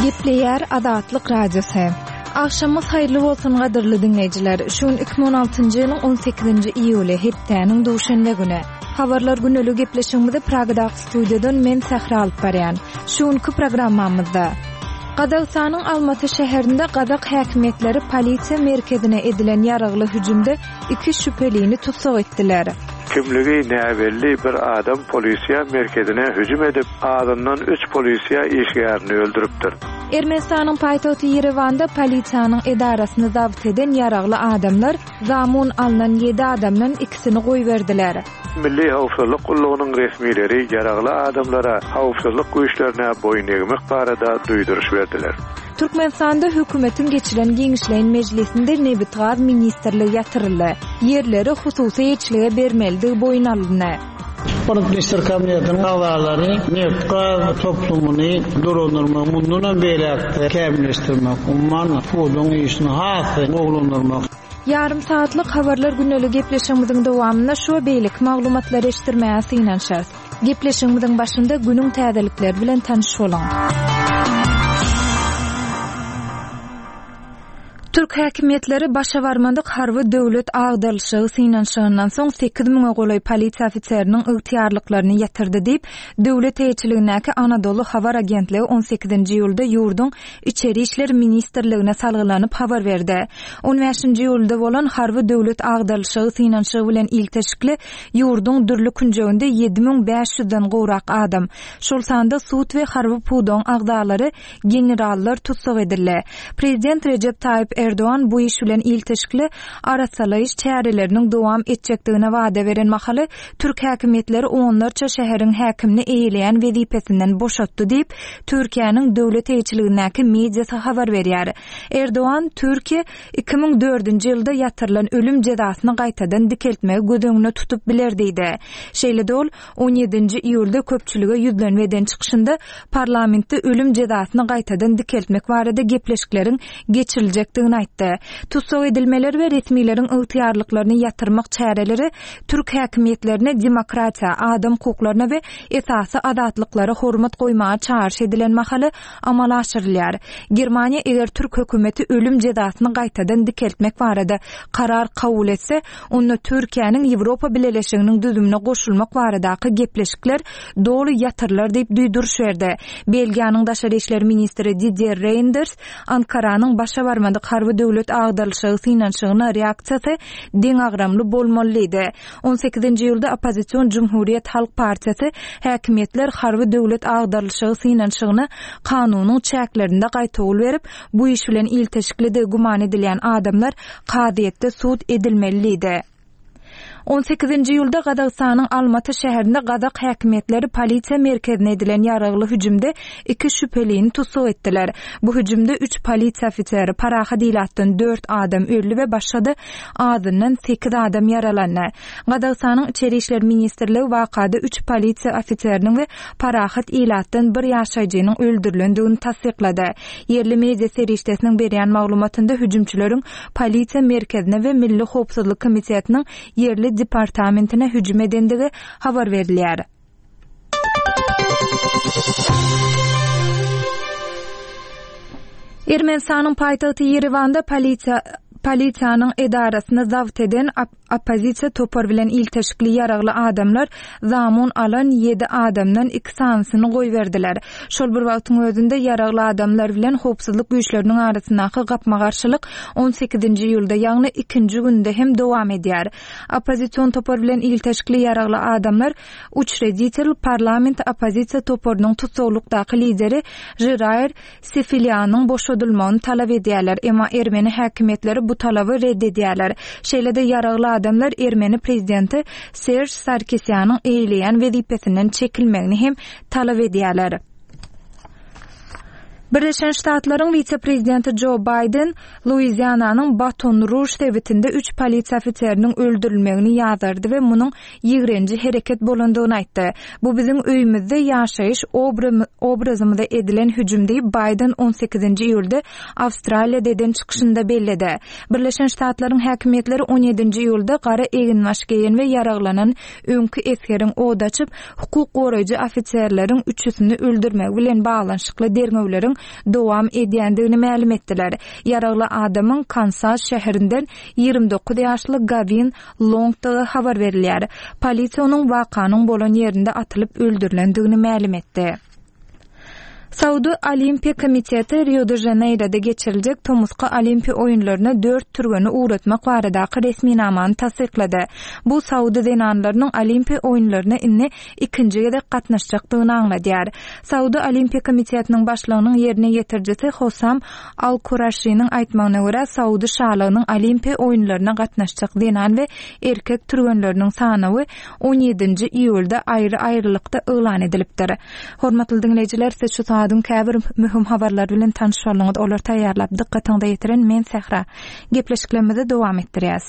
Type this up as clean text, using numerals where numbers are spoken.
Gepleýär Azatlyk Radiosy. Agşamyňyz haýyrly bolsun gadyrly diňleýjiler. Şu gün 2016-njy ýylyň 18-nji iýuly, hepdäniň duşenbe güni. Habarlar güneli gepleşigimizi Pragadaky studiýadan men Sähra alyp barýan. Şu günki programmamyzda Gazagystanyň Almaty şäherinde gazak häkimiýetleri polisiýa merkezine edilen ýaragly hüjümde iki şübhelini tussag etdiler. Kimligi näbelli bir adam polisiýa merkezine hüjüm edip, azyndan üç polisiýa işgärini öldüripdir. Ermenistanyň paýtagty Ýerewanda polisiýanyň edarasyny zabt eden ýaragly adamlar zamun alnan ýedi adamdan ikisini goýberdiler. Milli howpsuzlyk gullugynyň resmileri ýaragly adamlara howpsuzlyk güýçlerine boýun egmek barada duýduryş berdiler. Türkmenistanda hökümetiň geçiren giňişleýin mejlisinde Nebitgaz ministrligi ýatyryldy. Ýerleri hususy eýeçilige bermelidigi boýun alyndy. Hormatly Ministrler Kabinetiniň agzalary nebit-gaz toplumyny dolandyrmagy mundanam beýläk-de kämilleşdirmek, umuman, pudagyň işini has-da gowulandyrmak. Ýarym sagatlyk Habarlar gündeli gepleşigimiziň dowamynda şu we beýleki maglumatlary eşitdirmäge synanyşarys. Gepleşigimiziň başynda günüň täzelikleri bilen tanyş boluň. Türk häkimiýetleri başa barmadyk harby döwlet agdarylyşygy synanyşygyndan soň sekiz müňe golaý polisiýa ofiseriniň ygtyýarlyklaryny ýatyrdy diýip, döwlet eýeçiligindäki Anadolu habar agentligi on sekizinji iýulda ýurduň Içeri işler ministrligine salgylanyp habar berdi. On bäşinji iýulda bolan harby döwlet agdarylyşygy synanyşygy bilen ilteşikli ýurduň dürli künjeginde 7500-den gowrak adam, şol sanda sud we harby pudagyň agzalary, generallar tussag edildi. Prezident Rejep Taýyp Erdogan bu iş bilen ilteşikli arassalaýyş çäreleriniň dowam etjekdigine wada beren mahaly, türk häkimiýetleri onlarça şäheriň häkimini eýeleýän wezipesinden boşatdy diýip, Türkiýäniň döwlet eýeçiligindäki mediasy habar berýär. Erdogan, Türkiýe 2004-nji ýylda ýatyrylan ölüm jezasyny gaýtadan dikeltmegi göz öňünde tutup biler diýdi. Şeýle-de ol, on ýedinji iýulda köpçülige ýüzlenme eden çykyşynda parlamentde ölüm jezasyny gaýtadan dikeltmek barada gepleşikleriň geçiriljekdigini aýtdy. Tussag edilmeler we resmileriň ygtyýarlyklaryny ýatyrmak çäreleri türk häkimiýetlerine demokratiýa, adam hukuklaryna we esasy azatlyklara hormat goýmaga çagyryş edilen mahaly amala aşyrylýar. Germaniýa eger türk hökümeti ölüm jezasyny gaýtadan dikeltmek barada karar kabul etse, onda Türkiýäniň Ýewropa Bileleşiginiň düzümine goşulmak baradaky gepleşikler doly ýatyrylar diýip duýduryş berdi. Belgiýanyň daşary işler ministri Didier Reýnders Ankaranyň başa barmadyk harby döwlet agdarylyşygy synanyşygyna reaksiýasy deňagramly bolmaly diýdi. On sekizinji iýulda oppozision Jumhuriýet halk partiýasy häkimiýetler harby döwlet agdarylyşygy synanyşygyna kanunyň çäklerinde gaýtawul berip, bu iş bilen ilteşiklidigi güman edilýän adamlar kazyýetde sud edilmeli diýdi. On sekizinji iýulda Gazagystanyň Almaty şäherinde gazak häkimiýetleri polisiýa merkezine edilen ýaragly hüjümde iki şübhelini tussag etdiler. Bu hüjümde üç polisiýa ofiseri, parahat ilatdan dört adam öldi we başga-da azyndan sekiz adam ýaralandy. Gazagystanyň Içeri işler ministrligi wakada üç polisiýa ofiseriniň we parahat ilatdan bir ýaşaýjynyň öldürilendigini tassyklady. Ýerli media serişdesiniň berýän maglumatynda hüjümçileriň polisiýa merkezine we Milli howpsuzlyk komitetiniň ýerli departamentine hüjüm edendigi habar berilýär. Ermenistanyň paýtagty Ýerewanda polisiýa polisiýanyň edarasyny zabt eden oppozisiýa topar bilen ilteşikli ýaragly adamlar zamun alan ýedi adamdan iki sanysyny goýberdiler. Şol bir wagtyň özünde ýaragly adamlar bilen howpsuzlyk güýçleriniň arasyndaky gapma-garşylyk on sekizinji iýulda, ýagny ikinji günde hem dowam edýär. Oppozision topar bilen ilteşikli ýaragly adamlar Uçreditel parlament oppozisiýa toparynyň tussaglykdaky lideri Žiraýr Sefilýanyň boşadylmagyny talap edýärler, emma ermeni häkimiýetleri bu talaby red edýärler. Şeýle-de ýaragly adamlar ermeni prezidenti Serž Sarkisýanyň eýeleýän wezipesinden çekilmegini hem talap edýärler. Birleşen Ştatlaryň wise-prezidenti Jo Baýden Luiziananyň Baton-Ruž sebitinde üç polisiýa ofiseriniň öldürilmegini ýazgardy we munuň ýigrenji hereket bolandygyny aýtdy. Bu biziň öýümizde ýaşaýyş obrazymyza edilen hüjüm diýip, Baýden on sekizinji iýulda Awstraliýada eden çykyşynda belledi. Birleşen Ştatlaryň häkimiýetleri on ýedinji iýulda gara eginbaş geýen we ýaraglanan öňki esgeriň od açyp, hukuk goraýjy ofiserleriň üçüsini öldürmegi bilen baglanyşykly derňewleriň. dowam edýändigini mälim etdiler. Ýaragly adamyň Kansas şäherinden 29 ýaşly Gawin Longdygy habar berilýär. Polisiýa onuň wakanyň bolan ýerinde atylyp öldürilendigini mälim etdi. Saudy Olimpiýa komiteti Rio-de-Žaneýroda geçiriljek tomusky Olimpiýa oýunlaryna dört türgeni ugratmak baradaky resminamany tassyklady. Bu saudy zenanlarynyň Olimpiýa oýunlaryna indi ikinji gezek gatnaşjakdygyny aňladýar. Saudy Olimpiýa komitetiniň başlygynyň ýerine ýetirijisi Hosam Al-Kuraşiniň aýtmagyna görä, Saudy şalygynyň Olimpiýa oýunlaryna gatnaşjak zenan we erkek türgenleriniň sanawy on ýedinji iýulda aýry-aýrylykda yglan edilipdir. Hormatly diňleýjiler, siz şu sagadyň käbir möhüm habarlary bilen tanyş bolduňyz. Olary taýýarlap, dykgatyňyza ýetiren men Sähra. Gepleşiklerimizi dowam etdirýäs.